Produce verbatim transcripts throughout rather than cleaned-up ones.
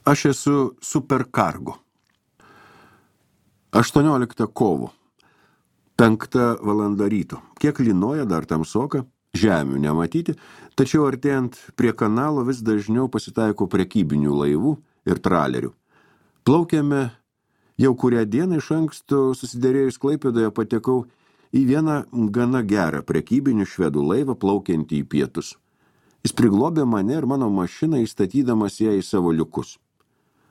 Aš esu superkargo. aštuonioliktą kovo. Penkta valanda ryto. Kiek lynoja, dar tamsoka, žemių nematyti, tačiau artėjant prie kanalo vis dažniau pasitaiko prekybinių laivų ir tralerių. Plaukėme jau kurią dieną iš anksto susiderėjus Klaipėdoje patekau į vieną gana gerą prekybinių švedų laivą plaukiantį į pietus. Jis priglobė mane ir mano mašiną įstatydamas ją į savo liukus.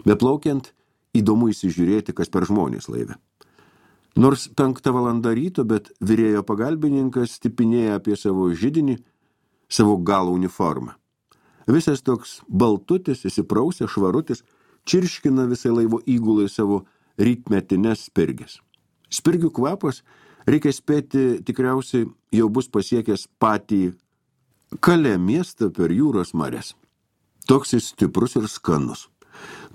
Beplaukiant, įdomu įsižiūrėti, kas per žmonės laive. Nors penktą valandą ryto, bet virėjo pagalbininkas stipinėja apie savo židinį, savo galo uniformą. Visas toks baltutis, įsiprausė, švarutis, čirškina visai laivo įgulai savo rytmetines spirgės. Spirgių kvapas, reikia spėti, tikriausiai jau bus pasiekęs patį Kalė miestą per jūros marias. Toks jis stiprus ir skanus.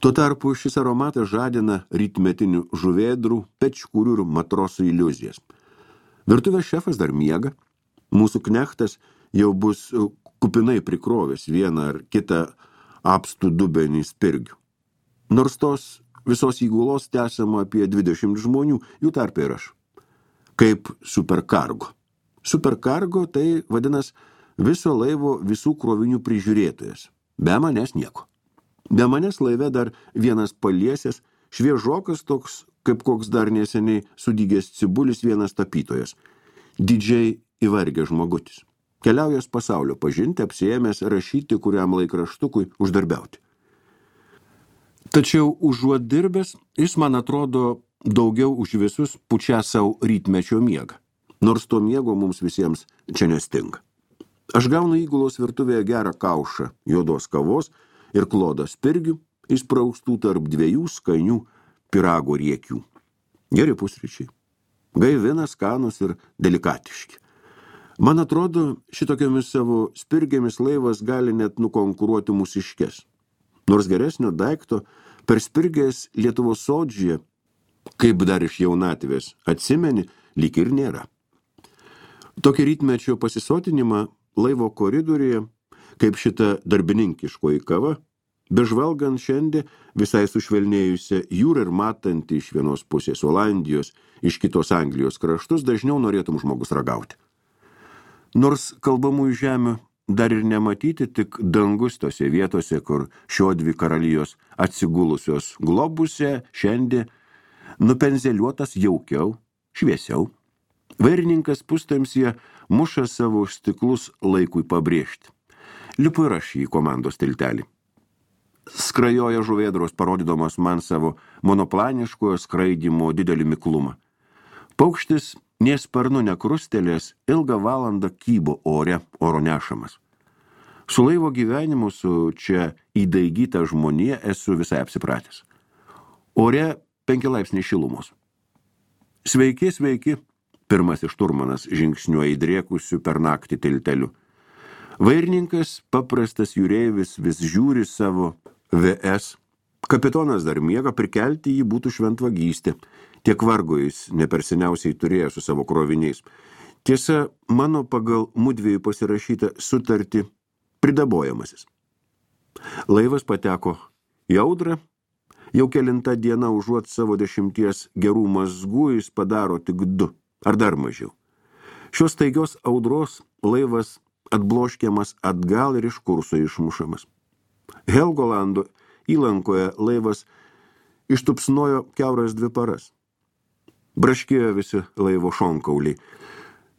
Tuo tarpu šis aromatas žadina rytmetinių žuvėdrų, pečkurių ir matrosų iliuzijas. Virtuvės šefas dar miega. Mūsų knechtas jau bus kupinai prikrovęs vieną ar kitą apstų dubenį spirgių. Nors tos visos įgulos tęsiama apie dvidešimt žmonių, jų tarpe ir aš. Kaip superkargo. Superkargo tai vadinas viso laivo visų krovinių prižiūrėtojas. Be manęs nieko. Be manęs laive dar vienas paliesės, šviežokas toks, kaip koks dar neseniai sudygęs cibulis vienas tapytojas. Didžiai įvargęs žmogutis. Keliaujas pasaulio pažinti, apsiėmęs rašyti kuriam laikraštukui uždarbiauti. Tačiau užuot dirbęs, jis man atrodo daugiau už visus pučia savo rytmečio miegą. Nors to miego mums visiems čia nestinga. Aš gaunu įgulos virtuvėje gerą kaušą juodos kavos ir klodą spirgių, įspraustų tarp dviejų skanių pirago riekių. Geri pusryčiai. Gaivina, skanus ir delikatiški. Man atrodo, šitokiomis savo spirgėmis laivas gali net nukonkuruoti mūsiškes. Nors geresnio daikto per spirgės Lietuvos sodžyje, kaip dar iš jaunatvės, atsimeni, lyg ir nėra. Tokį rytmečio pasisotinimą laivo koridoriuje, kaip šita darbininkiškoji kava, bežvalgant šiandien visai sušvelnėjusią jūrą ir matant iš vienos pusės Olandijos, iš kitos Anglijos kraštus, dažniau norėtum žmogus ragauti. Nors kalbamųjų žemių dar ir nematyti, tik dangus tose vietose, kur šio dvi karalijos atsigulusios globuse šiandien nupenzeliuotas jaukiau, šviesiau. Vairininkas pustamsyje muša savo stiklus laikui pabrėžti. Lipu ir aš į komandos tiltelį. Skrajoja žuvėdros, parodydamas man savo monoplaniškojo skraidymo didelį miklumą. Paukštis nė sparnu nekrustelės, ilgą valandą kybo ore, oro nešamas. Su laivo gyvenimu, su čia įdaigyta žmonija esu visai apsipratęs. Ore penki laipsniai šilumos. Sveiki, sveiki, pirmasis šturmanas žingsniuoja įdrėkusiu per naktį tilteliu. Vairininkas, paprastas jūreivis, vis žiūri savo V S. Kapitonas dar miega, prikelti jį būtų šventvagystė. Tiek vargo jis neperseniausiai turėjo su savo kroviniais. Tiesa, mano pagal mudviejų pasirašytą sutartį pridabojamasis. Laivas pateko į audrą. Jau kelinta diena užuot savo dešimties gerų mazgų jis padaro tik du, ar dar mažiau. Šios staigios audros laivas atbloškiamas atgal ir iš kurso išmušamas. Helgolando įlankoje laivas ištupsnojo kiauras dvi paras. Braškėjo visi laivo šonkauliai.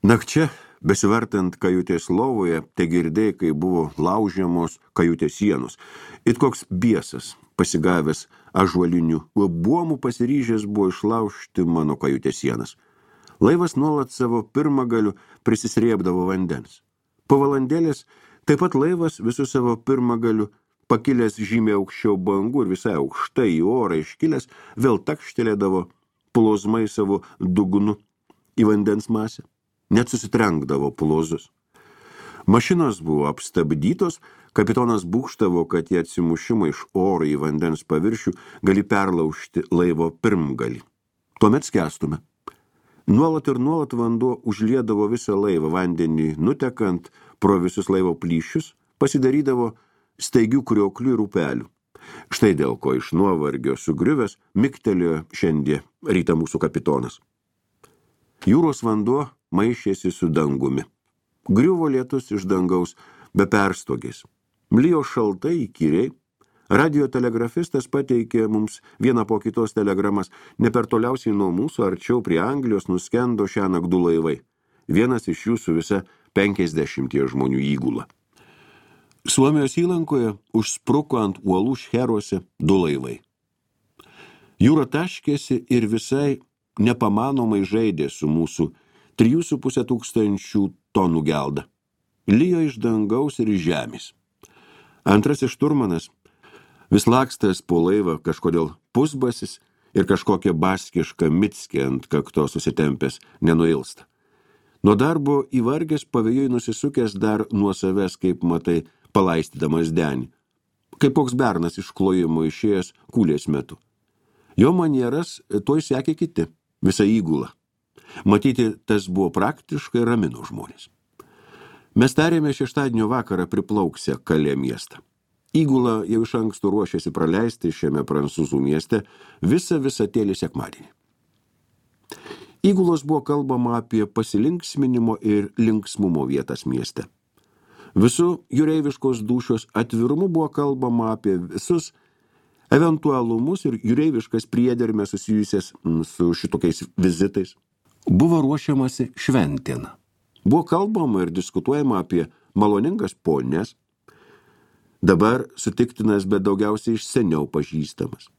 Nakčia, besivartant kajutės lovoje, te girdėjai, kai buvo laužiamos kajutės sienos. It koks biesas, pasigavęs ąžuolinių buomų, pasiryžęs buvo išlaužti mano kajutės sienas. Laivas nuolat savo pirmagaliu prisisrėbdavo vandens. Po valandėlės taip pat laivas visų savo pirmagaliu, pakilęs žymiai aukščiau bangų ir visai aukštai į orą iškilęs, vėl takštelėdavo plozmai savo dugnu į vandens masę. Net susitrenkdavo plozus. Mašinos buvo apstabdytos, kapitonas būgštavo, kad į atsimušimą iš oro į vandens paviršių gali perlaužti laivo pirmgalį. Tuomet skęstume. Nuolat ir nuolat vanduo užliedavo visą laivą, vandenį nutekant pro visus laivo plyšius, pasidarydavo staigių krioklių ir upelių. Štai dėl ko iš nuovargio sugriuvęs miktelėjo šiandien rytą mūsų kapitonas. Jūros vanduo maišėsi su dangumi. Griuvo lietus iš dangaus be perstogės. Mlijo šaltai įkyriai. Radiotelegrafistas pateikė mums vieną po kitos telegramas. Ne per toliausiai nuo mūsų, arčiau prie Anglijos nuskendo šiąnakt du laivai. Vienas iš jų su visa penkiasdešimties žmonių įgula. Suomijos įlankoje užspruko ant uolų šcheruose du laivai. Jūra taškėsi ir visai nepamanomai žaidė su mūsų trijų su pusė tūkstančių tonų gelda. Lijo iš dangaus ir iš žemės. Antrasis šturmanas, vis lakstęs po laivą kažkodėl pusbasis ir kažkokia baskiška mitskė ant kakto susitempęs nenuilsta. Nuo darbo įvargęs pavėjui nusisukęs dar nuo savęs, kaip matai, palaistydamas denį, kaip koks bernas iš klojimo išėjęs kūlės metu. Jo manieras tuoj sekė kiti, visą įgulą. Matyti, tas buvo praktiškai ramino žmonės. Mes tarėme šeštadienio vakarą priplauksę Kalė miestą. Įgula jau iš anksto ruošėsi praleisti šiame prancūzų mieste visą visatėlį sekmadienį. Įgulos buvo kalbama apie pasilinksminimo ir linksmumo vietas mieste. Visų jūreiviškos dūšios atvirumu buvo kalbama apie visus eventualumus ir jūreiviškas priedermę susijusias su šitokiais vizitais. Buvo ruošiamasi šventėna. Buvo kalbama ir diskutuojama apie maloningas ponės, dabar sutiktinas, bet daugiausiai iš seniau pažįstamas.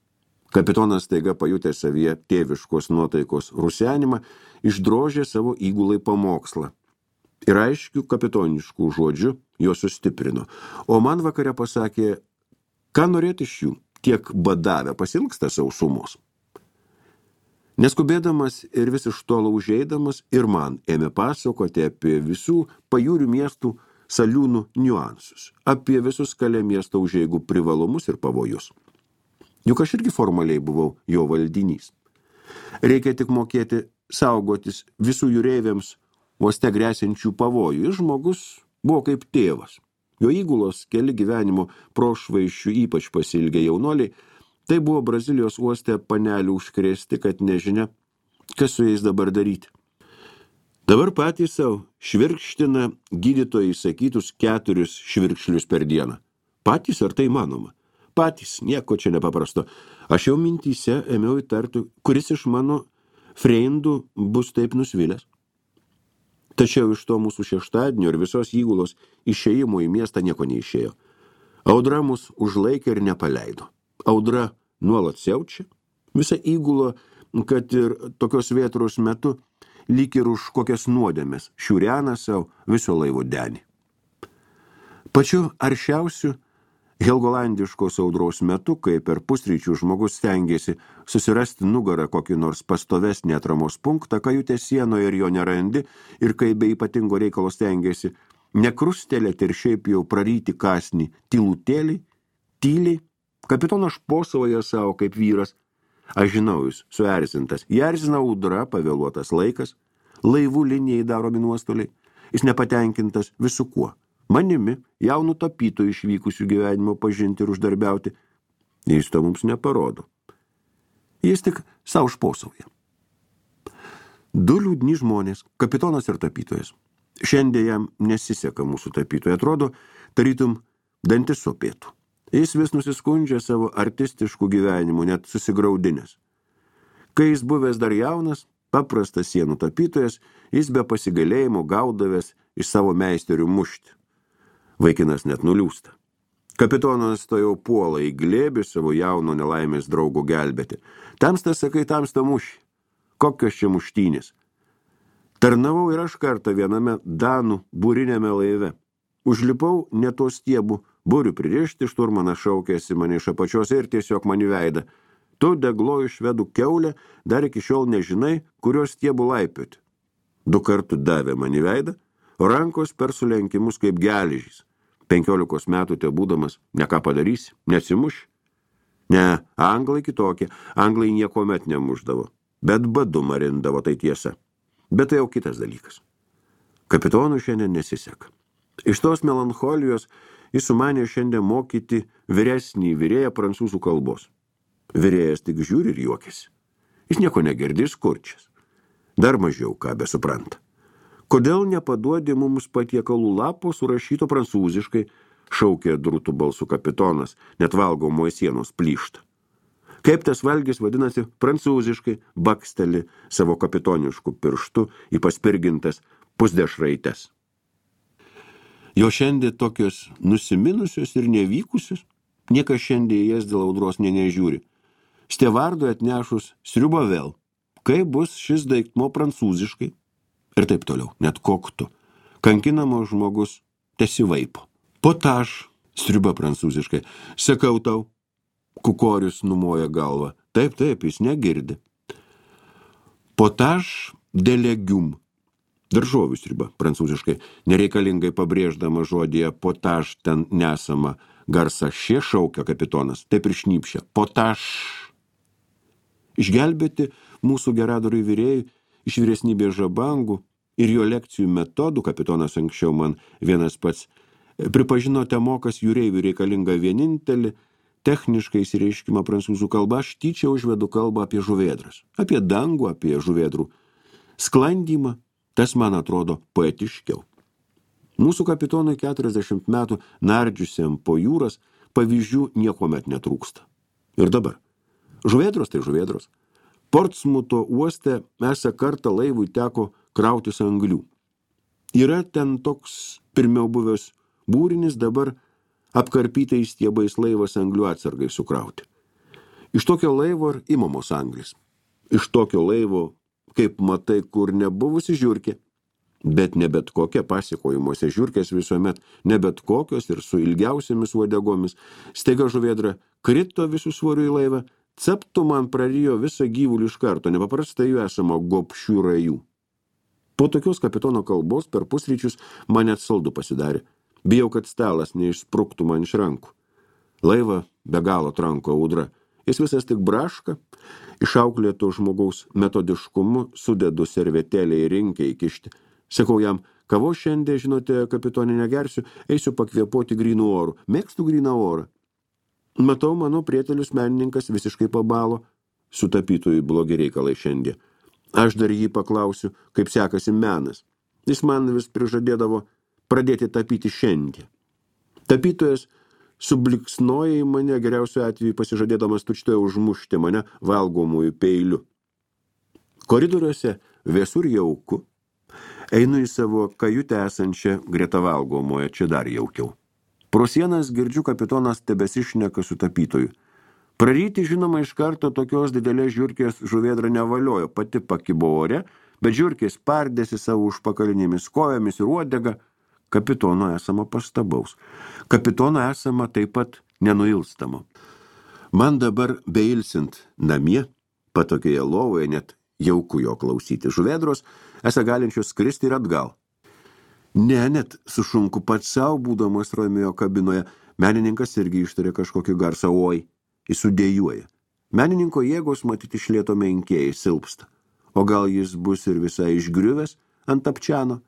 Kapitonas staiga pajutė savyje tėviškos nuotaikos rusenimą, išdrožė savo įgulai pamokslą. Ir aiškių kapitoniškų žodžių jo sustiprino. O man vakare pasakė, ką norėti iš jų, tiek badavę pasilgsta sausumos. Neskubėdamas ir vis iš tolo užeidamas ir man ėmė pasakoti apie visų pajūrių miestų saliūnų niuansus, apie visus Kalė miesto užeigų privalumus ir pavojus. Juk aš irgi formaliai buvau jo valdinys. Reikia tik mokėti saugotis visų jūreiviams uoste gresiančių pavojų. Ir žmogus buvo kaip tėvas. Jo įgulos keli gyvenimo prošvaiščių ypač pasilgę jaunoliai, tai buvo Brazilijos uoste panelių užkrėsti, kad nežinia, kas su jais dabar daryti. Dabar patys savo švirkština gydytojai įsakytus keturis švirkšlius per dieną. Patys ar tai manoma? Patys, nieko čia nepaprasto. Aš jau mintyse ėmiau įtarti, kuris iš mano freindų bus taip nusvilęs. Tačiau iš to mūsų šeštadienio ir visos įgulos išėjimo į miestą nieko neišėjo. Audra mus užlaikė ir nepaleido. Audra nuolat siaučia. Visa įgula, kad ir tokios vėtros metu, lyg ir už kokias nuodėmes, šiurena savo viso laivo denį. Pačiu aršiausiu helgolandiškos audros metu, kai per pusryčių žmogus stengėsi susirasti nugarą kokį nors pastovesnį atramos punktą, kajutės sienoje ir jo nerandi, ir kai be ypatingo reikalo stengėsi nekrustelėti ir šiaip jau praryti kasnį tylutėliai, tyliai, kapitonas šposavoje savo kaip vyras. Aš žinau, jis suerzintas. Jį erzina audra, pavėluotas laikas, laivų linijai daromi nuostoliai. Jis nepatenkintas visu kuo. Manimi, jaunų tapytojų išvykusių gyvenimo pažinti ir uždarbiauti, jis to mums neparodo. Jis tik savo šposauja. Du liūdni žmonės, kapitonas ir tapytojas. Šiandien jam nesiseka mūsų tapytojai, atrodo, tarytum dantis sopėtų. Jis vis nusiskundžia savo artistiškų gyvenimų, net susigraudinęs. Kai jis buvęs dar jaunas, paprastas sienų tapytojas, jis be pasigalėjimo gaudavęs iš savo meisterių mušti. Vaikinas net nuliūsta. Kapitonas to jau puola į glėbį savo jauno nelaimės draugo gelbėti. Tamsta, sakai, tamsta muši. Kokios čia muštynės? Tarnavau ir aš kartą viename danų būrinėme laive. Užlipau ne to stiebų, būrių pririšti, šturmanas šaukėsi mane iš apačios ir tiesiog man į veidą. Tu, degloju švedų kiaulė, dar iki šiol nežinai, kurios stiebų laipioti. Du kartų davė man į veidą, o rankos per sulenkimus kaip geležys. Penkiolikos metų te būdamas, ne ką padarysi, nesimuši. Ne, anglai kitokie, anglai niekuomet nemušdavo, bet badu marindavo, tai tiesa. Bet tai jau kitas dalykas. Kapitonų šiandien nesiseka. Iš tos melancholijos jis sumanė šiandien mokyti vyresnį vyrėją prancūzų kalbos. Vyrėjas tik žiūri ir juokiasi. Jis nieko negirdi, skurčias. Dar mažiau ką besupranta. Kodėl nepaduodi mums patiekalų lapo surašyto prancūziškai, šaukė drūtų balsų kapitonas, net valgomoje sienos plyšta. Kaip tas valgis vadinasi prancūziškai, baksteli savo kapitonišku pirštu į paspirgintas pusdešraites. Jo šiandien tokios nusiminusios ir nevykusios, niekas šiandien jas dėl audros nė nežiūri. Stevardui atnešus sriubą vėl, kaip bus šis daiktmo prancūziškai, ir taip toliau, net koktu. Kankinamo žmogus tesivaipo. Potaž, sriuba prancūziškai, sakau tau, kukorius numoja galvą. Taip, taip, jis negirdi. Potaž de legume. Daržovių sriuba, prancūziškai, nereikalingai pabrėždama žodyje potaž ten nesama garsą šie šaukia kapitonas, taip ir šnypšia. Potaž. Išgelbėti mūsų geradoriui vyrėjai iš vyresnybės žabangų ir jo lekcijų metodų, kapitonas anksčiau man vienas pats pripažino temokas jūreivių reikalingą vienintelį techniškai įsireiškimą prancūzų kalba, aš tyčia užvedu kalbą apie žuvėdras, apie dangų, apie žuvėdrų sklandymą. Tas man atrodo poetiškiau. Mūsų kapitonui keturiasdešimt metų nardžiusiam po jūras pavyzdžių niekomet netrūksta. Ir dabar. Žuvėdros tai žuvėdros. Portsmuto uoste esą kartą laivui teko krautis anglių. Yra ten toks pirmiau buvęs būrinis, dabar apkarpytais stiebais laivas anglių atsargai sukrauti. Iš tokio laivo ir imamos anglis. Iš tokio laivo, kaip matai, kur nebuvusi žiurkė, bet ne bet kokia pasikojimuose žiurkės visuomet, ne bet kokios ir su ilgiausiamis uodegomis, staiga žuvėdra krito visų svorių į laivą, ceptų man prarijo visą gyvulį iš karto, nepaprastai jų esama gobšių rajų. Po tokios kapitono kalbos per pusryčius man net saldu pasidarė. Bijau, kad stalas neišspruktų man iš rankų. Laivą be galo tranko audra. Jis visas tik braška, išauklėto žmogaus metodiškumu sudedu servetėlę į rinkę įkišti. Sakau jam, kavo šiandien, žinote, kapitonė negersiu, eisiu pakvėpuoti grynų orų. Mėgstu gryną orą. Matau, mano prietelius menininkas visiškai pabalo, su tapytojui blogi reikalai šiandien. Aš dar jį paklausiu, kaip sekasi menas. Jis man vis prižadėdavo pradėti tapyti šiandien. Tapytojas subliksnoja į mane, geriausiu atveju pasižadėdamas tučtoje užmušti mane valgomųjų peiliu. Koridoriuose vėsur jauku. Einu į savo kajutę esančią greta valgomoje, čia dar jaukiau. Pro sienas girdžiu kapitonas tebesišneka su tapytoju. Praryti, žinoma, iš karto tokios didelės žiurkės žuvėdra nevaliojo, pati pakibo ore, bet žiurkės pardėsi savo užpakalinėmis kojomis ir uodega. Kapitono esama pastabaus. Kapitono esama taip pat nenuilstamo. Man dabar beilsint namie, patokioje lovoje, net jauku jo klausyti žuvėdros, esą galinčios skristi ir atgal. Ne, net sušunku pats savo, būdamas Romeo kabinoje, menininkas irgi ištarė kažkokį garsą oi, jis sudėjuoja. Menininko jėgos matyti iš lėto menkėjai silpsta. O gal jis bus ir visai išgriuvęs ant apčiano?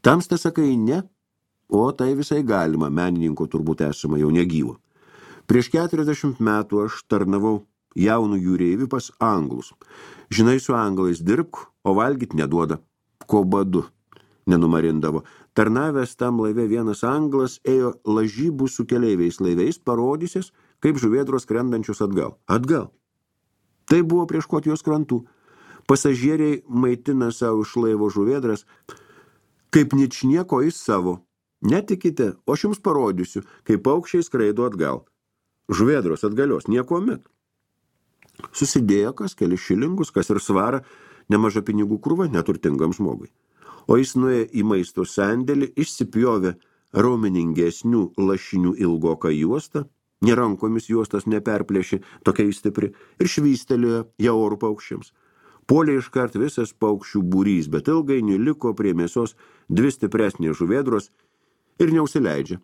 Tamsta sakai ne, o tai visai galima, menininko turbūt esama jau negyvo. Prieš keturiasdešimt metų aš tarnavau jaunų jūreivių pas anglus. Žinai, su anglais dirbk, o valgyt neduoda. Ko badu nenumarindavo. Tarnavęs tam laive vienas anglas ėjo lažybų su keleiviais laiveis, parodysis, kaip žuvėdros skrendančius atgal. Atgal. Tai buvo prie Škotijos krantų. Pasažieriai maitina savo iš laivo žuvėdras, kaip ničnieko į savo. Netikite, o aš jums parodysiu, kaip paukščiai skraido atgal. Žuvėdros atgalios, nieko met. Susidėjo kas kelis šilingus, kas ir svara, nemaža pinigų krūva neturtingam žmogui. O jis nuėjo į maisto sandėlį, išsipjovė raumeningesnių lašinių ilgoką juostą, nerankomis juostas neperplėšė, tokia stipri, ir švystelėjo jau orų paukščiams. Puolė iškart visas paukščių būrys, bet ilgainiui liko prie mėsos dvi stipresnės žuvėdros ir neusileidžia.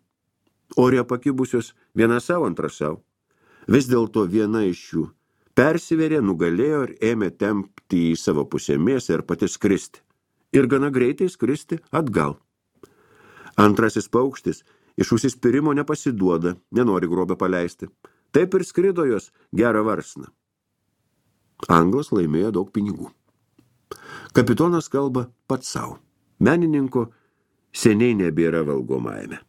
Ore pakibusios viena savo, antra savo. Vis dėlto viena iš jų persiverė, nugalėjo ir ėmė tempti į savo pusę mėsą ir pati skristi. Ir gana greitai skristi atgal. Antrasis paukštis Iš užsispyrimo nepasiduoda, nenori grobę paleisti. Taip ir skrido jos gerą varsną. Anglas laimėjo daug pinigų. Kapitonas kalba pats savo. Menininko seniai nebėra valgomajame.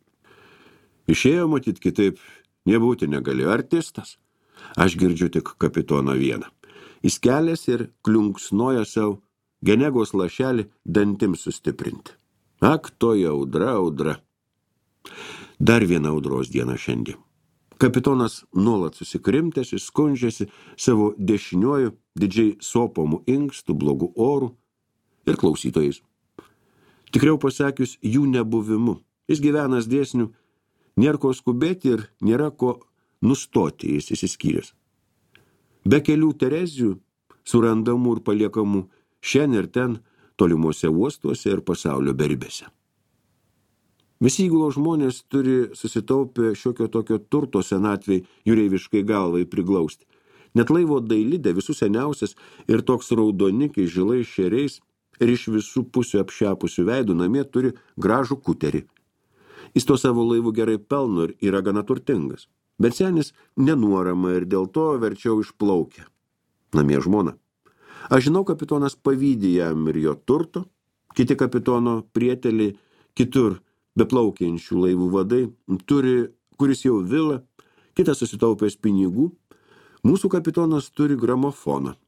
Išėjo matyt kitaip, nebūti negalėjo artistas. Aš girdžiu tik kapitoną vieną. Jis kelias ir kliunksnoja savo genegos lašelį dantims sustiprinti. Ak, toji audra, audra. Dar viena audros diena šiandien. Kapitonas nuolat susikrimtęs, skundžiasi savo dešiniuoju didžiai sopomų inkstų, blogų orų ir klausytojais. Tikriau pasakius, jų nebuvimu. Jis gyvenas dėsnių, nėra ko skubėti ir nėra ko nustoti, jis įsiskyręs. Be kelių Terezijų, surandamų ir paliekamų šiandien ir ten, tolimuose uostuose ir pasaulio beribėse. Visi įgulos žmonės turi susitaupę šiokio tokio turto senatvei jūreiviškai galvai priglausti. Net laivo dailidė visų seniausias ir toks raudonikiai žilais šeriais ir iš visų pusių apšepusių veidų namie turi gražų kuterį. Jis to savo laivų gerai pelno ir yra gana turtingas. Bet senis nenuorama ir dėl to verčiau išplaukia. Namie žmona. Aš žinau, kapitonas pavydį jam ir jo turto, kiti kapitono prieteliai, kitur beplaukiančių laivų vadai, turi, kuris jau vilą, kitas susitaupęs pinigų, mūsų kapitonas turi gramofoną.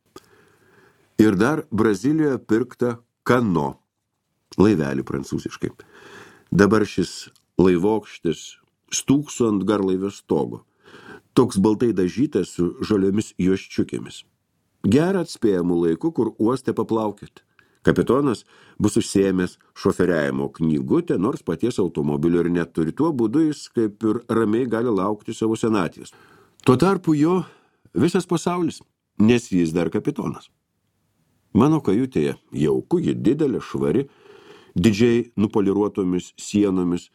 Ir dar Brazilijoje pirkta kano, laivelį prancūziškai. Dabar šis laivokštis stūkso ant garlaivio stogo, toks baltai dažytas su žaliomis juoščiukėmis. Gerą atspėjamų laikų, kur uoste paplaukėt. Kapitonas bus užsiėmęs šoferiavimo knygutę, nors paties automobilio ir neturi. Tuo būdu jis kaip ir ramiai gali laukti savo senatvės. Tuo tarpu jo visas pasaulis, nes jis dar kapitonas. Mano kajutėje jauku, ji didelė, švari, didžiai nupoliruotomis sienomis,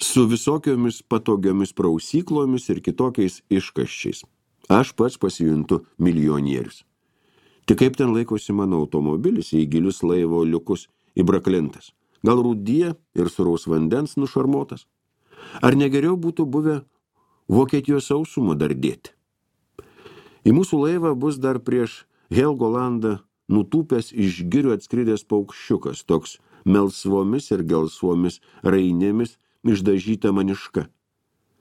su visokiomis patogiomis prausyklomis ir kitokiais iškaščiais. Aš pats pasijuntu milijonierius. Tik kaip ten laikosi mano automobilis į gilius laivo liukus įbraklintas. Gal rūdyje ir suraus vandens nušarmotas? Ar negeriau būtų buvę Vokietijos sausumo dar dėti? Į mūsų laivą bus dar prieš Helgolandą nutūpęs iš girių atskridęs paukščiukas, toks melsvomis ir gelsvomis rainėmis išdažyta maniška.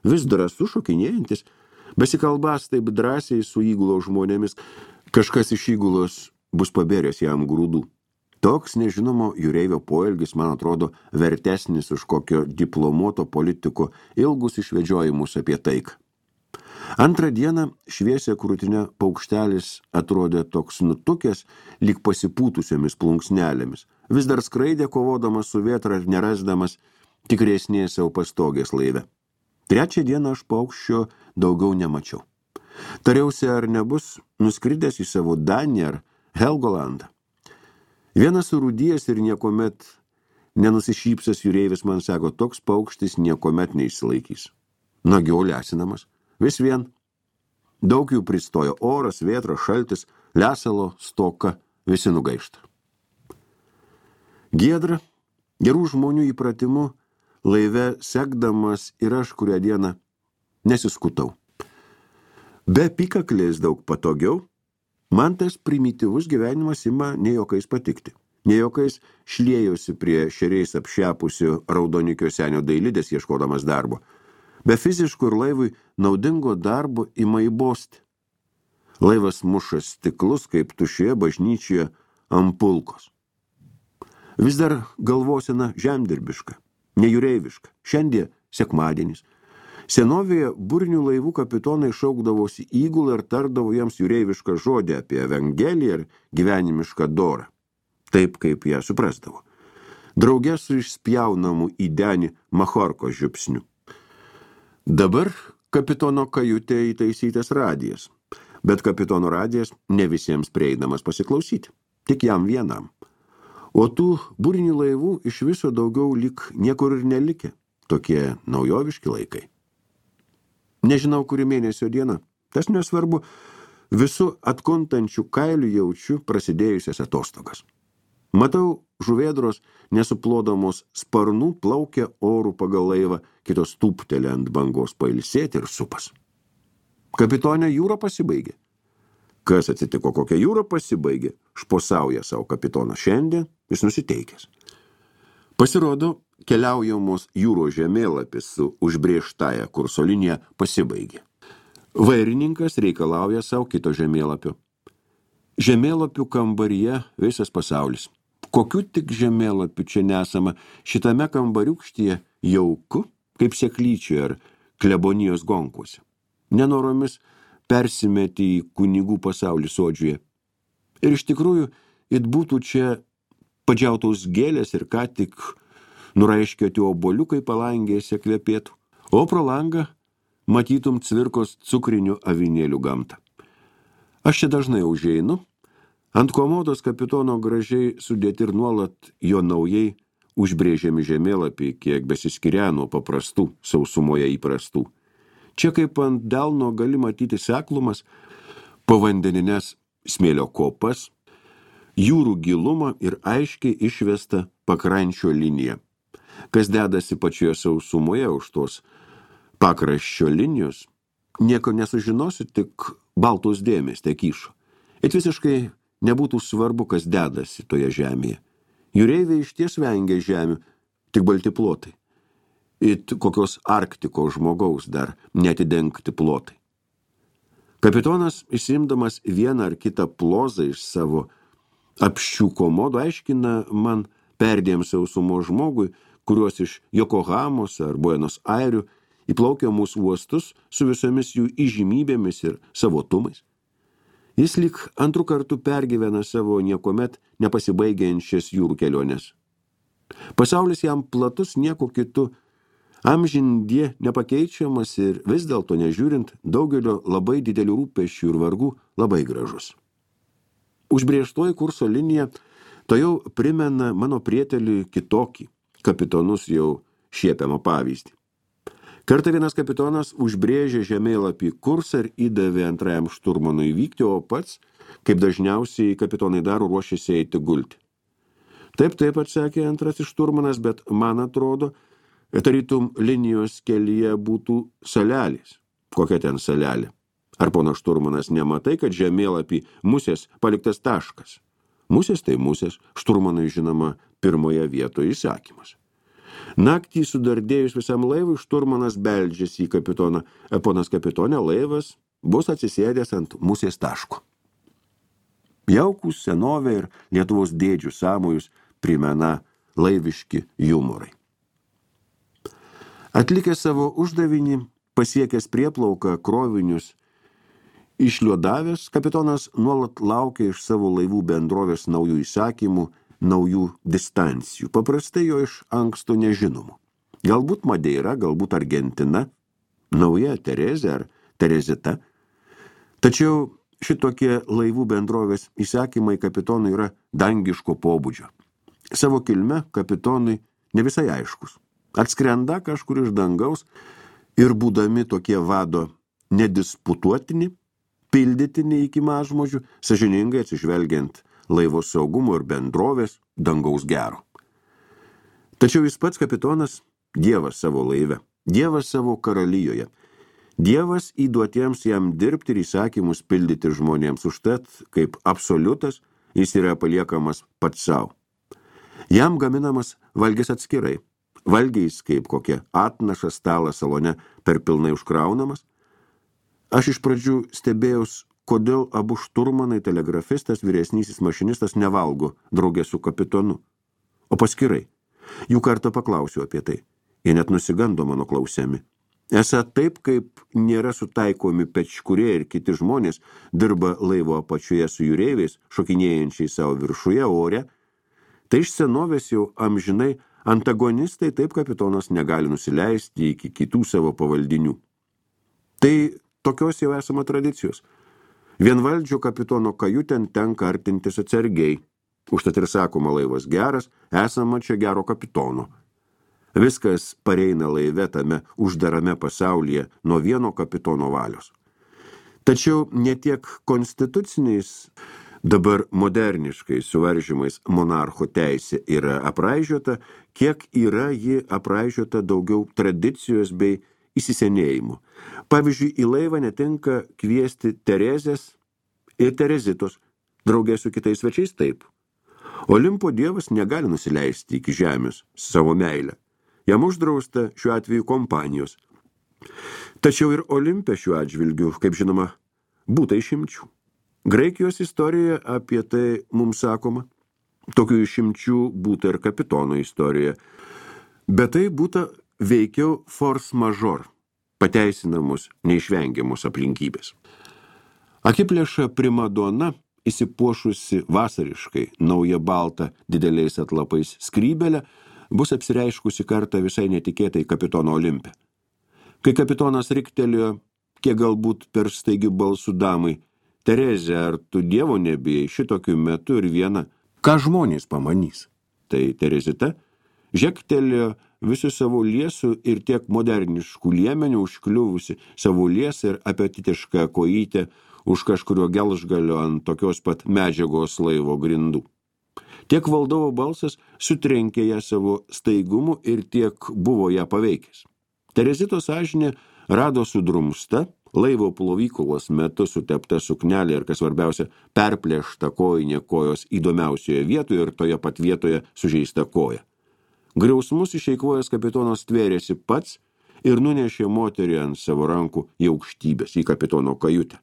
Vis drąsu šokinėjantis, besikalbas taip drąsiai su įgulos žmonėmis, kažkas iš įgulos bus pabėręs jam grūdų. Toks nežinomo jūreivio poelgis, man atrodo, vertesnis už kokio diplomuoto politiko ilgus išvedžiojimus apie taiką. Antrą dieną šviesia krūtinė paukštelis atrodė toks nutukęs, lyg pasipūtusiomis plunksnelėmis. Vis dar skraidė kovodamas su vėtra ir nerasdamas tikresnės savo pastogės laive. Trečią dieną aš paukščio daugiau nemačiau. Tariausi, ar nebus nuskridęs į savo Daniją ar Helgolandą. Vienas surūdijęs ir niekomet nenusišypsas jūreivis man sako, toks paukštis niekomet neišsilaikys. Nagiau lesinamas. Vis vien. Daug jų pristojo oras, vėtra, šaltis, lesalo, stoka, visi nugaišta. Giedra, gerų žmonių įpratimu, laive sekdamas ir aš kurią dieną nesiskutau. Be pykaklės daug patogiau, man tas primityvus gyvenimas ima ne jokais patikti. Ne jokais šliejosi prie šeriais apšepusių raudonikio senio dailidės ieškodamas darbo. Be fiziškų ir laivui naudingo darbo ima įbosti. Laivas muša stiklus kaip tušioje bažnyčioje ampulkos. Vis dar galvosena žemdirbiška, nejūreiviška. Šiandien sekmadienis. Senovėje burinių laivų kapitonai šaukdavosi įgulą ir tardavo jiems jūreivišką žodį apie evangeliją ir gyvenimišką dorą. Taip, kaip ją suprasdavo. Drauge su išspjaunamu į denį machorko žiupsniu. Dabar kapitono kajutė įtaisytas radijas, bet kapitono radijas ne visiems prieinamas pasiklausyti, tik jam vienam. O tų burinių laivų iš viso daugiau lyg niekur ir nelikė, tokie naujoviški laikai. Nežinau, kuri mėnesio diena, tas nesvarbu, visų atkuntančių kailių jaučiu prasidėjusias atostogas. Matau, žuvėdros nesuplodamos sparnų plaukia orų pagal laivą, kitos tūptelė ant bangos pailsėti ir supas. Kapitonė, jūra pasibaigė. Kas atsitiko, kokia jūra pasibaigė? Šposauja savo kapitonas šiandien, jis nusiteikęs. Pasirodo, keliaujamos jūros žemėlapis su užbrėžtąja kurso linija pasibaigė. Vairininkas reikalauja savo kito žemėlapio. Žemėlapių kambaryje visas pasaulis. Kokių tik žemėlapių čia nesama, šitame kambariukštyje jauku, kaip seklyčioje ar klebonijos gonkuose. Nenoromis persimeti į kunigų pasaulį sodžiuje. Ir iš tikrųjų, it būtų čia padžiautos gėlės ir ką tik nuraiškioti oboliukai palangėse kvepėtų, o pro langą matytum cvirkos cukrinių avinėlių gamtą. Aš čia dažnai užeinu, ant komodos kapitono gražiai sudėti ir nuolat jo naujai užbrėžiami žemėlapiai, kiek besiskiria nuo paprastų, sausumoje įprastų. Čia kaip ant delno gali matyti seklumas, povandenines smėlio kopas, jūrų gilumą ir aiškiai išvestą pakrančio liniją. Kas dedasi pačioje sausumoje už tos pakraščio linijos, nieko nesužinosi, tik baltos dėmės tekyšo. Ir visiškai nebūtų svarbu, kas dedasi toje žemėje. Jūreiviai išties vengia žemių, tik balti plotai. It kokios Arktiko žmogaus dar netidengti plotai. Kapitonas, išsiimdamas vieną ar kitą plozą iš savo apščių komodo, aiškina man perdėm sausumo žmogui, kuriuos iš Jokohamos ar Buenos Airių įplaukia mūsų uostus su visomis jų įžymybėmis ir savotumais. Jis lyg antrų kartų pergyvena savo niekomet nepasibaigiančias jūrų keliones. Pasaulis jam platus nieko kitu, amžindie nepakeičiamas ir vis dėlto nežiūrint daugelio labai didelių rūpesčių ir vargų labai gražus. Užbrėžtoji kurso linija to jau primena mano prietelį kitokį, kapitonus jau šiepiamą pavyzdį. Kartą vienas kapitonas užbrėžė žemėlapį kursą ir įdavė antrajam šturmanui vykti, o pats, kaip dažniausiai kapitonai daro, ruošėsi eiti gulti. Taip, taip atsakė antrasis šturmanas, bet man atrodo, tarytum linijos kelyje būtų salelės. Kokia ten salelė? Ar pono šturmanas nematai, kad žemėlapį musės paliktas taškas? Musės tai musės, šturmanai žinoma pirmoje vietoje įsakymas. Naktį sudardėjus visam laivui, šturmanas beldžiasi į kapitoną. Ponas kapitonė, laivas bus atsisėdęs ant musės taško. Jaukūs senovė ir Lietuvos dėdžių sąmojus primena laiviški jumorai. Atlikęs savo uždavinį, pasiekęs prieplauką krovinius, išliodavęs, kapitonas nuolat laukia iš savo laivų bendrovės naujų įsakymų, naujų distancijų, paprastai jo iš anksto nežinomų. Galbūt Madeira, galbūt Argentina, nauja Terezė ar Terezita. Tačiau šitokie laivų bendrovės įsakymai kapitonui yra dangiško pobūdžio. Savo kilme kapitonui ne visai aiškus. Atskrenda kažkur iš dangaus ir būdami tokie vado nedisputuotini, pildytini iki mažmožių, sąžiningai atsižvelgiant laivo saugumo ir bendrovės dangaus gero. Tačiau jis pats kapitonas, dievas savo laive, dievas savo karalijoje, dievas įduotiems jam dirbti ir įsakymus pildyti žmonėms, užtat, kaip absoliutas, jis yra paliekamas pats savo. Jam gaminamas valgis atskirai, valgiais kaip kokia atnaša stalas salone per pilnai užkraunamas. Aš iš pradžių stebėjaus, kodėl abu šturmanai, telegrafistas, vyresnysis mašinistas nevalgo draugė su kapitonu, o paskirai. Jų kartą paklausiau apie tai. Jie net nusigando mano klausiami. Esą taip, kaip nėra sutaikomi pečkurie ir kiti žmonės, dirba laivo apačioje su jūreiviais, šokinėjančiai savo viršuje ore, tai iš senovės jau amžinai antagonistai, taip kapitonas negali nusileisti iki kitų savo pavaldinių. Tai tokios jau esama tradicijos. Vienvaldžio kapitono kajutėn tenka artintis atsargiai. Užtat ir sakoma, laivas geras, esama čia gero kapitono. Viskas pareina laive tame uždarame pasaulyje nuo vieno kapitono valios. Tačiau ne tiek konstituciniais dabar moderniškai suvaržymais monarcho teisė yra apraižiota, kiek yra ji apraižiota daugiau tradicijos bei įsisenėjimų. Pavyzdžiui, į laivą netinka kviesti Terezės ir Terezitos, draugė su kitais svečiais taip. Olimpo dievas negali nusileisti iki žemės savo meilę. Jam uždrausta šiuo atveju kompanijos. Tačiau ir Olimpe šiuo atžvilgiu, kaip žinoma, būta išimčių. Graikijos istorijoje apie tai mums sakoma. Tokių išimčių būta ir Kapitono istorijoje. Bet tai būta veikiau force majeure, pateisinamos neišvengiamos aplinkybės. Akiplėša primadona, įsipuošusi vasariškai, nauja balta dideliais atlapais skrybelė, bus apsireiškusi kartą visai netikėtai Kapitono Olimpe. Kai Kapitonas riktelėjo, kiek galbūt per staigių balsų damai, Terezė, ar tu dievo nebijai šitokiu metu ir viena, ką žmonės pamanys? Tai Terezita žektelėjo visų savo liesų ir tiek moderniškų liemenių užkliuvusi savo liesą ir apetitišką kojytę už kažkurio gelžgalio ant tokios pat medžiagos laivo grindų. Tiek valdovo balsas sutrenkė ją savo staigumu ir tiek buvo ją paveikęs. Terezitos sąžinė rado sudrumsta, laivo plovyklos metu sutepta suknelė ir, kas svarbiausia, perplėšta kojinė kojos įdomiausioje vietoje ir toje pat vietoje sužeista koja. Griausmus išeikvojęs Kapitonas tvėrėsi pats ir nunešė moterį ant savo rankų į aukštybės, į Kapitono kajutę.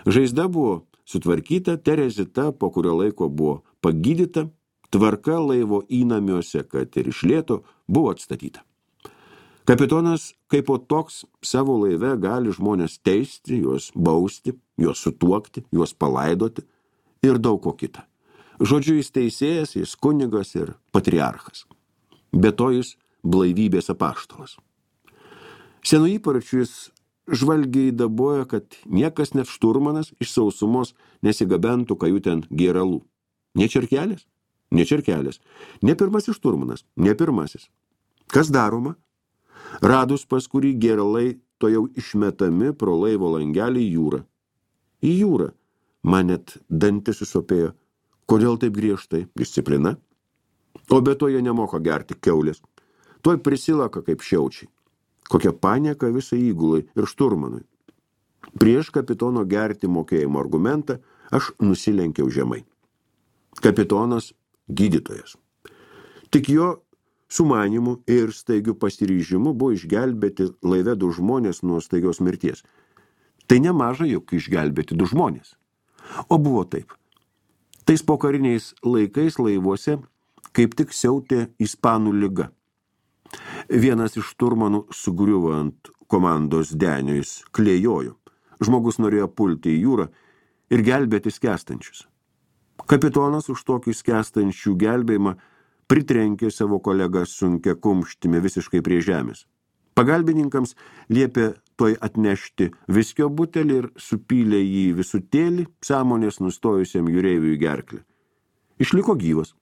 Žaizda buvo sutvarkyta, Terezita po kurio laiko buvo pagydyta, tvarka laivo įnamiuose, kad ir iš lėto, buvo atstatyta. Kapitonas, kaip po toks, savo laive gali žmonės teisti, juos bausti, juos sutuokti, juos palaidoti ir daug ko kita. Žodžiu, jis teisėjas, jis kunigas ir patriarchas. Be to jis blaivybės apaštalas. Senų įparčių jis žvalgiai daboja, kad niekas net šturmanas iš sausumos nesigabentų kajutėn gėralų. Ne čerkelės? Ne čerkelės. Ne pirmasis šturmanas, ne pirmasis. Kas daroma? Radus pas kurį gėralai to jau išmetami pro laivo langelį į jūrą. Į jūrą. Man net dantis susopėjo. Kodėl taip griežtai? Disciplina. O be to jie nemoka gerti kiaulės. Tuoj prisilaka kaip šiaučiai. Kokia panieka visai įgulai ir šturmanui. Prieš Kapitono gerti mokėjimo argumentą aš nusilenkiau žemai. Kapitonas gydytojas. Tik jo sumanimu ir staigiu pasiryžimu buvo išgelbėti laive du žmonės nuo staigios mirties. Tai nemaža juk išgelbėti du žmonės. O buvo taip. Tais pokariniais laikais laivuose kaip tik siautė ispanų liga. Vienas iš šturmanų sugriuvo ant komandos denio, jis klėjojo. Žmogus norėjo pulti į jūrą ir gelbėti skęstančius. Kapitonas už tokį skęstančių gelbėjimą pritrenkė savo kolegą sunkia kumštimi visiškai prie žemės. Pagalbininkams liepė toj atnešti viskio butelį ir supylė jį visutėlį sąmonės nustojusiam jūreiviui gerklį. Išliko gyvas.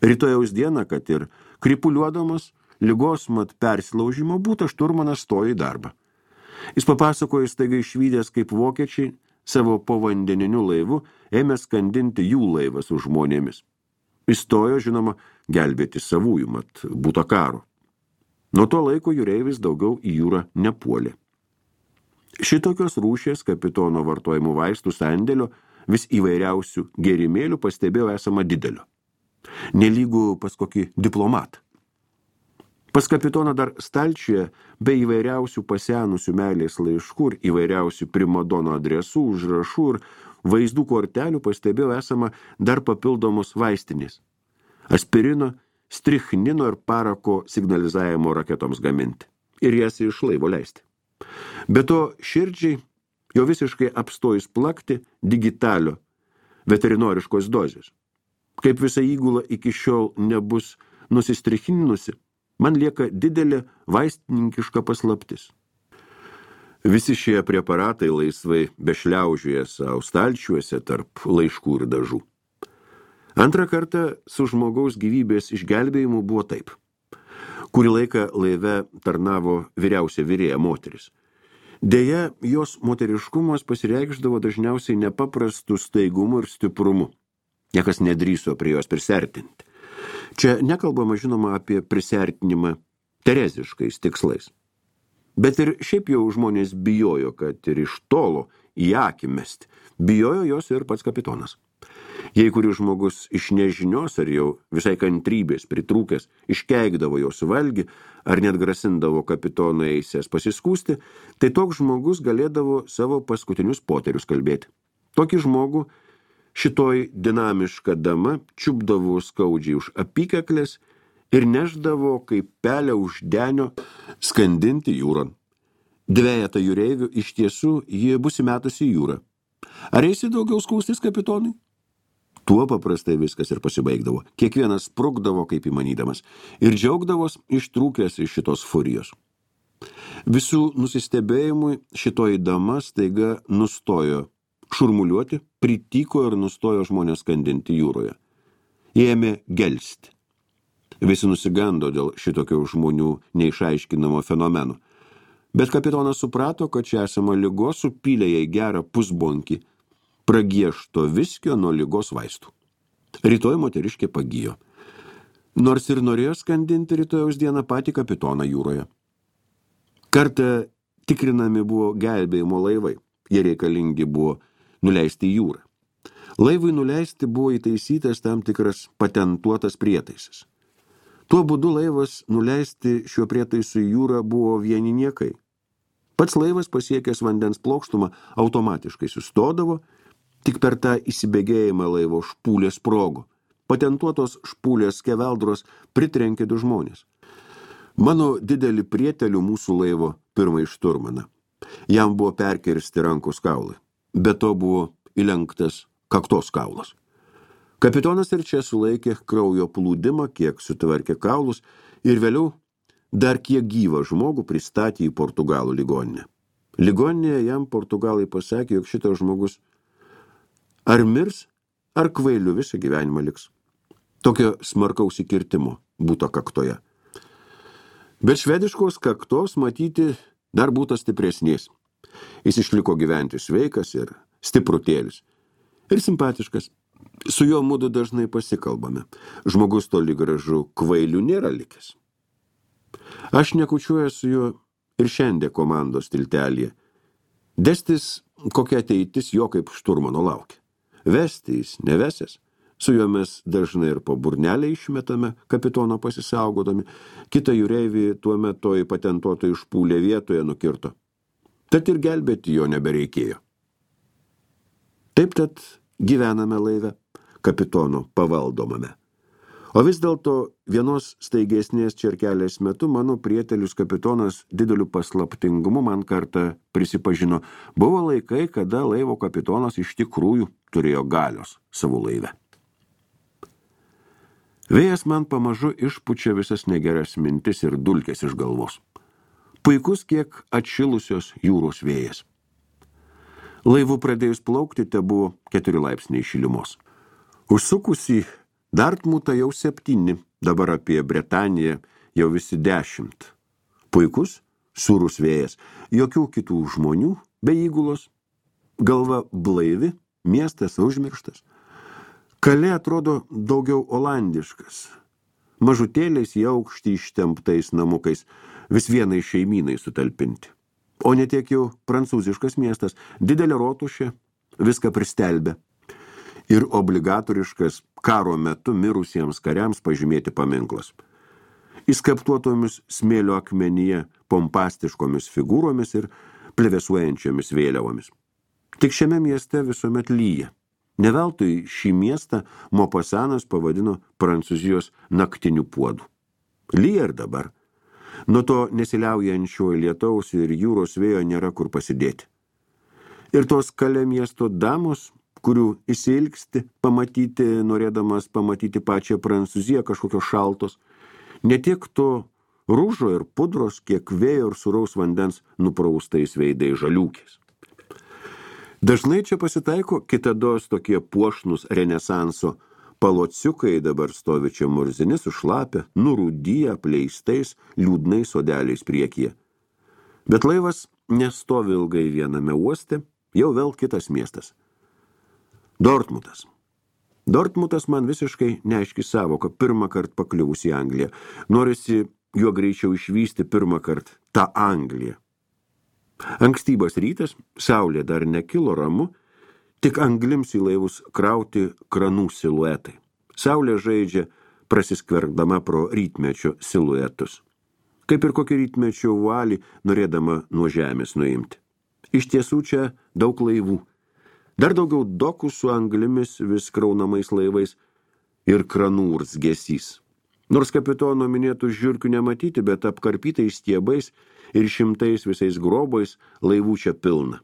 Rytojaus dieną, kad ir kripuliuodamas, ligos mat persilaužimo būta, šturmanas stojo į darbą. Jis papasakojo staiga išvydęs, kaip vokiečiai savo povandeniniu laivu ėmė skandinti jų laivą su žmonėmis. Įstojo, žinoma, gelbėti savųjų, mat būta karo. Nuo to laiko jūreivis daugiau į jūrą nepuolė. Šitokios rūšies Kapitono vartojimų vaistų sandėlio vis įvairiausių gėrimėlių pastebėjo esama didelio. Nelygų pas kokį diplomatą. Pas Kapitoną dar stalčiuje be įvairiausių pasenusių meilės laiškų ir įvairiausių primadono adresų, užrašų ir vaizdų kortelių pastebėjo esama dar papildomos vaistinės. Aspirino, strichnino ir parako signalizavimo raketoms gaminti ir jas iš laivo leisti. Be to širdžiai jau visiškai apstojus plakti digitalio veterinoriškos dozės. Kaip visa įgula iki šiol nebus nusistrichninusi, man lieka didelė vaistininkiška paslaptis. Visi šie preparatai laisvai bešliaužioja savo stalčiuose tarp laiškų ir dažų. Antrą kartą su žmogaus gyvybės išgelbėjimu buvo taip. Kurį laiką laive tarnavo vyriausia virėja moteris. Deja, jos moteriškumas pasireikšdavo dažniausiai nepaprastu staigumu ir stiprumu. Niekas nedrįso prie jos prisertinti. Čia nekalbama, žinoma, apie prisertinimą tereziškais tikslais. Bet ir šiaip jau žmonės bijojo, kad ir iš tolo į akį mesti. Bijojo jos ir pats kapitonas. Jei kuris žmogus iš nežinios ar jau visai kantrybės pritrūkęs iškeikdavo jos valgį ar net grasindavo kapitoną eisės pasiskūsti, tai toks žmogus galėdavo savo paskutinius poterius kalbėti. Tokį žmogų šitoj dinamiška dama čiupdavo skaudžiai už apykaklės ir neždavo kaip pelę už denio skandinti jūron. Dvejetą jūreivių iš tiesų ji bus įmetusi į jūrą. Ar eisi daugiau skūstis kapitonui? Tuo paprastai viskas ir pasibaigdavo. Kiekvienas sprukdavo kaip įmanydamas ir džiaugdavos ištrūkęs iš šitos furijos. Visų nusistebėjimui šitoji dama staiga nustojo šurmuliuoti, prityko ir nustojo žmonės skandinti jūroje. Jie ėmė gelsti. Visi nusigando dėl šitokio žmonių neišaiškinamo fenomeno. Bet kapitonas suprato, kad čia esama ligos, supylė jai gerą pusbonkį pragiešto viskio nuo ligos vaistų. Rytoj moteriškė pagijo. Nors ir norėjo skandinti rytojaus dieną patį kapitoną jūroje. Kartą tikrinami buvo gelbėjimo laivai. Jie reikalingi buvo nuleisti į jūrą. Laivui nuleisti buvo įtaisytas tam tikras patentuotas prietaisas. Tuo būdu laivas nuleisti šiuo prietaisu į jūrą buvo vieni niekai. Pats laivas pasiekęs vandens plokštumą automatiškai sustodavo, tik per tą įsibėgėjimą laivo špūlė sprogo. Patentuotos špūlės skeveldros pritrenkė du žmonės. Mano didelį prietelių mūsų laivo pirmąjį šturmaną. Jam buvo perkirsti rankos kaulai. Be to buvo įlenktas kaktos kaulas. Kapitonas ir čia sulaikė kraujo plūdimą, kiek sutvarkė kaulus ir vėliau dar kiek gyvą žmogų pristatė į Portugalų ligoninę. Ligoninėje jam portugalai pasakė, jog šitas žmogus ar mirs, ar kvailiu visą gyvenimą liks. Tokio smarkaus įkirtimo būta kaktoje. Bet švediškos kaktos matyti dar būta stipresnės. Jis išliko gyventi sveikas ir stiprutėlis. Ir simpatiškas. Su juo mudu dažnai pasikalbame. Žmogus toli gražu kvailiu nėra likęs. Aš nekučiuoju su juo ir šiandien komandos tiltelėje. Destis kokia ateitis jo kaip šturmano laukia. Vesti jis nevesės. Su juo mes dažnai ir po burnelę išmetame, kapitono pasisaugodami. Kitą jūreivį tuo metu į patentuotą išpūlę vietoje nukirto. Tad ir gelbėti jo nebereikėjo. Taip tad gyvename laive, kapitono pavaldomame. O vis dėlto vienos staigesnės čerkelės metu mano prietelis kapitonas dideliu paslaptingumu man kartą prisipažino. Buvo laikai, kada laivo kapitonas iš tikrųjų turėjo galios savo laive. Vėjas man pamažu išpučia visas negeras mintis ir dulkės iš galvos. Puikus kiek atšilusios jūros vėjas. Laivų pradėjus plaukti te buvo keturi laipsniai šilumos. Užsukusi Dartmutą jau septyni, dabar apie Bretaniją jau visi dešimt. Puikus, sūrus vėjas, jokių kitų žmonių, be įgulos, galva blaivi, miestas užmirštas. Kalė atrodo daugiau olandiškas, mažutėliais į aukštį ištemptais namukais, vis vienai šeimynai sutalpinti. O ne tiek jau prancūziškas miestas, didelė rotušė, viską pristelbė. Ir obligatoriškas karo metu mirusiems kariams pažymėti paminklas. Įskaptuotomis smėlio akmenyje pompastiškomis figūromis ir plevėsuojančiomis vėliavomis. Tik šiame mieste visuomet lyja. Neveltui šį miestą Mopasanas pavadino Prancūzijos naktiniu puodu. Lyja ir dabar. Nuo to nesiliaujančio lietaus ir jūros vėjo nėra kur pasidėti. Ir tos Kalė miesto damos, kurių įsilgsti pamatyti, norėdamas pamatyti pačią Prancūziją kažkokios šaltos, ne tiek to rūžo ir pudros, kiek vėjo ir sūraus vandens nupraustais veidai žaliūkės. Dažnai čia pasitaiko kitados tokie puošnus renesanso palociukai, dabar stovi čia murzini sušlapę, nurūdyję, apleistais, liūdnais sodeliais priekyje. Bet laivas nestovi ilgai viename uoste, jau vėl kitas miestas. Dortmutas. Dortmutas man visiškai neaiški savoka pirmą kartą pakliuvus į Angliją. Norisi juo greičiau išvysti pirmą kartą tą Angliją. Ankstybas rytas, saulė dar nekilo ramu, tik anglims į laivus krauti kranų siluetai. Saulė žaidžia prasiskvergdama pro rytmečio siluetus. Kaip ir kokį rytmečio vualį norėdama nuo žemės nuimti. Iš tiesų čia daug laivų. Dar daugiau dokų su anglimis vis kraunamais laivais ir kranų urzgesys. Nors kapitono minėtų žiurkių nematyti, bet apkarpytais stiebais ir šimtais visais grobais laivų čia pilna.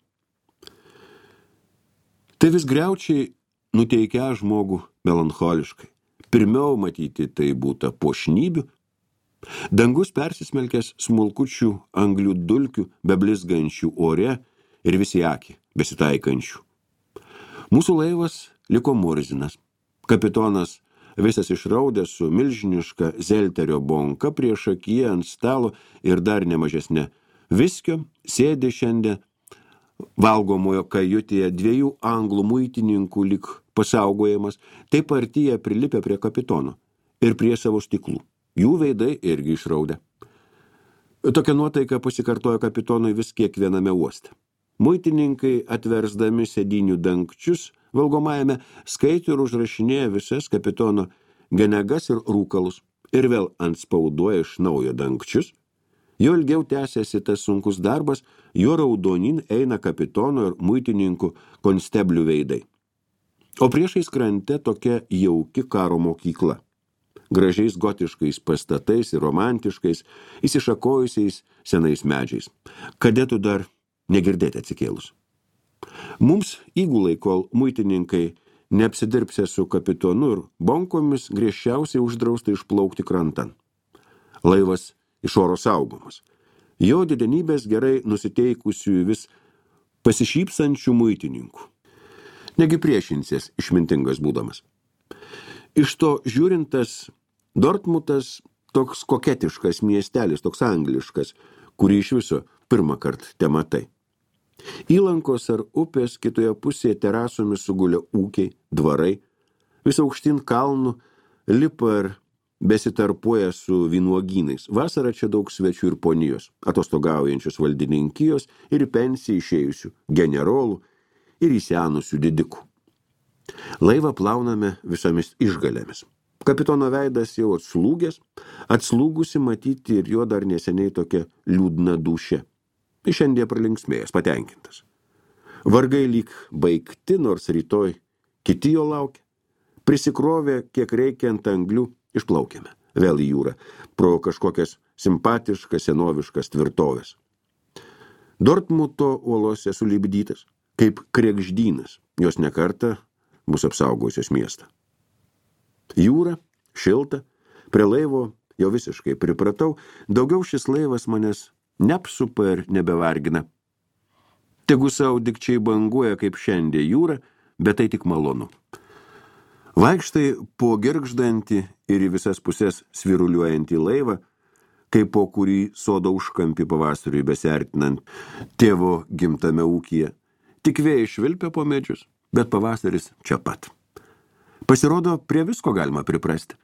Tai vis griaučiai nuteikia žmogų melancholiškai. Pirmiau matyti tai būta puošnybių. Dangus persismelkęs smulkučių anglių dulkių, beblizgančių ore ir visi akį besitaikančių. Mūsų laivas liko murzinas. Kapitonas visas išraudęs su milžiniška zelterio bonka prieš akiją ant stalo ir dar nemažesnė viskio, sėdi šiandien valgomojo kajutėje dviejų anglų muitininkų lik pasaugojimas, taip artyje prilipę prie kapitono ir prie savo stiklų. Jų veidai irgi išraudę. Tokia nuotaika pasikartojo kapitonui vis kiekviename uoste. Muitininkai atversdami sėdinių dangčius valgomajame skaito ir užrašinėja visas kapitono genegas ir rūkalus ir vėl antspauduoja iš naujo dangčius. Jo ilgiau tęsiasi tas sunkus darbas, jo raudonin eina kapitono ir muitininkų konsteblių veidai. O priešais krante tokia jauki karo mokykla. Gražiais gotiškais pastatais ir romantiškais, įsišakojusiais senais medžiais. Kadetų dar negirdėti atsikėlus. Mums įgulai, kol muitininkai neapsidirbsė su kapitonu ir bonkomis, griežčiausiai uždrausta išplaukti krantan. Laivas iš oro saugomas. Jo didenybės gerai nusiteikusių vis pasišypsančių muitininkų. Negi priešinsies išmintingas būdamas. Iš to žiūrintas Dortmutas toks koketiškas miestelis, toks angliškas, kurį iš viso pirmą kartą te matai. Įlankos ar upės kitoje pusėje terasomis sugulė ūkiai, dvarai, vis aukštyn kalnų lipa ir besitarpuoja su vynuogynais. Vasarą čia daug svečių ir ponijos, atostogaujančios valdininkijos ir pensijai išėjusių generolų ir įsenusių didikų. Laivą plauname visomis išgalėmis. Kapitono veidas jau atslūgęs, atslūgusi matyti ir jo dar neseniai tokia liūdna dūšė. Šiandien pralinksmėjęs, patenkintas. Vargai lyg baigti, nors rytoj kiti jo laukia. Prisikrovė, kiek reikia ant anglių, išplaukėme. Vėl į jūrą, pro kažkokias simpatiškas, senoviškas tvirtovės. Dortmuto uolose sulipdytas, kaip kregždynas, jos nekartą bus apsaugojusios miestą. Jūra, šilta, prie laivo jau visiškai pripratau, daugiau šis laivas manęs neapsupa ir nebevargina. Tegu savo dikčiai banguoja kaip šiandien jūra, bet tai tik malonu. Vaikštai po girgždantį ir į visas pusės sviruliuojantį laivą, kaip po kurį sodo užkampį pavasariui besiartinant tėvo gimtame ūkyje. Tik vėjai švilpia po medžius, bet pavasaris čia pat. Pasirodo, prie visko galima priprasti.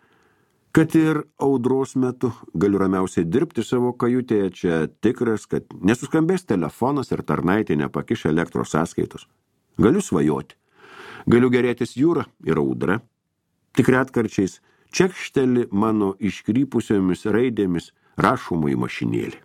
Kad ir audros metu galiu ramiausiai dirbti savo kajutėje, čia tikras, kad nesuskambės telefonas ir tarnaitė nepakiš elektros sąskaitos. Galiu svajoti. Galiu gerėtis jūra ir audra. Tik retkarčiais čekšteli mano iškrypusiomis raidėmis rašomųjų mašinėlį.